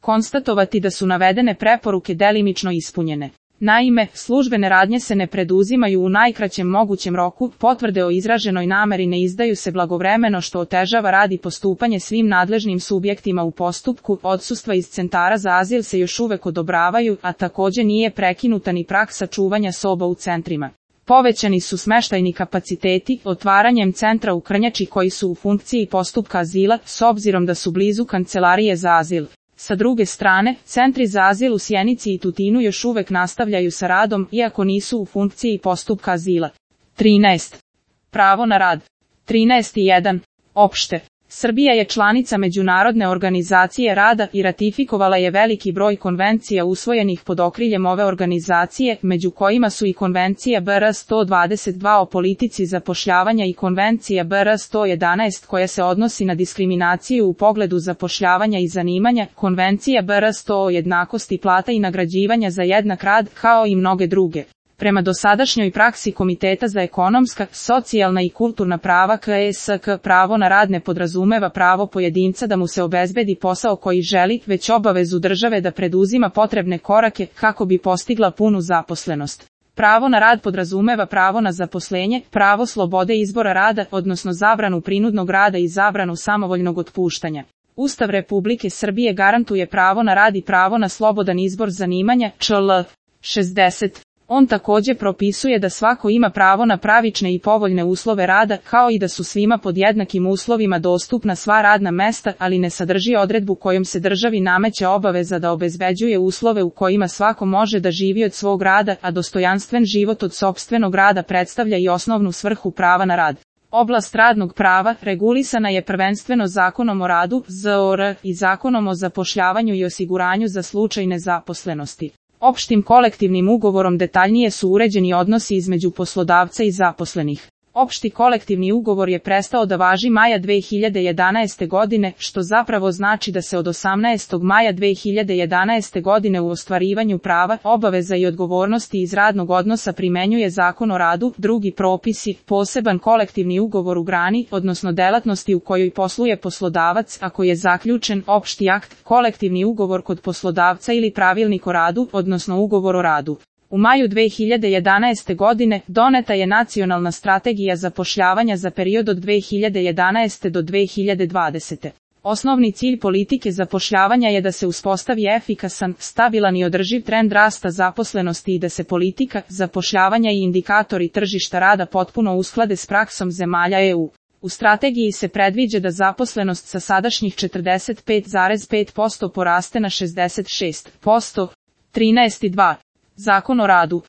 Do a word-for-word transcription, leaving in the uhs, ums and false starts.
konstatovati da su navedene preporuke delimično ispunjene. Naime, službene radnje se ne preduzimaju u najkraćem mogućem roku, potvrde o izraženoj nameri ne izdaju se blagovremeno što otežava rad i postupanje svim nadležnim subjektima u postupku, odsustva iz centara za azil se još uvek odobravaju, a takođe nije prekinuta ni praksa čuvanja soba u centrima. Povećani su smeštajni kapaciteti, otvaranjem centra u Krnjači koji su u funkciji postupka azila, s obzirom da su blizu kancelarije za azil. Sa druge strane, centri za azil u Sjenici i Tutinu još uvek nastavljaju sa radom, iako nisu u funkciji postupka azila. trinaest. Pravo na rad. trinaest jedan. Opšte. Srbija je članica Međunarodne organizacije rada i ratifikovala je veliki broj konvencija usvojenih pod okriljem ove organizacije, među kojima su i Konvencija B R sto dvadeset dva o politici zapošljavanja i Konvencija B R sto jedanaest koja se odnosi na diskriminaciju u pogledu zapošljavanja i zanimanja, Konvencija B R sto o jednakosti plata i nagrađivanja za jednak rad, kao i mnoge druge. Prema dosadašnjoj praksi Komiteta za ekonomska, socijalna i kulturna prava K S K, pravo na rad ne podrazumeva pravo pojedinca da mu se obezbedi posao koji želi, već obavezu države da preduzima potrebne korake kako bi postigla punu zaposlenost. Pravo na rad podrazumeva pravo na zaposlenje, pravo slobode izbora rada, odnosno zabranu prinudnog rada i zabranu samovoljnog otpuštanja. Ustav Republike Srbije garantuje pravo na rad i pravo na slobodan izbor zanimanja, čl. šezdeset. On takođe propisuje da svako ima pravo na pravične i povoljne uslove rada, kao i da su svima pod jednakim uslovima dostupna sva radna mesta, ali ne sadrži odredbu kojom se državi nameće obaveza da obezbeđuje uslove u kojima svako može da živi od svog rada, a dostojanstven život od sopstvenog rada predstavlja i osnovnu svrhu prava na rad. Oblast radnog prava regulisana je prvenstveno Zakonom o radu, Z O R, i Zakonom o zapošljavanju i osiguranju za slučaj nezaposlenosti. Opštim kolektivnim ugovorom detaljnije su uređeni odnosi između poslodavca i zaposlenih. Opšti kolektivni ugovor je prestao da važi maja dve hiljade jedanaeste godine, što zapravo znači da se od osamnaestog maja dve hiljade jedanaeste godine u ostvarivanju prava, obaveza i odgovornosti iz radnog odnosa primenjuje Zakon o radu, drugi propisi, poseban kolektivni ugovor u grani, odnosno delatnosti u kojoj posluje poslodavac, ako je zaključen opšti akt, kolektivni ugovor kod poslodavca ili pravilnik o radu, odnosno ugovor o radu. U maju dve hiljade jedanaeste godine doneta je Nacionalna strategija zapošljavanja za period od dve hiljade jedanaeste do dve hiljade dvadesete. Osnovni cilj politike zapošljavanja je da se uspostavi efikasan, stabilan i održiv trend rasta zaposlenosti i da se politika zapošljavanja i indikatori tržišta rada potpuno usklade s praksom zemalja E U. U strategiji se predviđa da zaposlenost sa sadašnjih četrdeset pet zarez pet posto poraste na šezdeset šest posto. trinaest dva. Zakon o radu.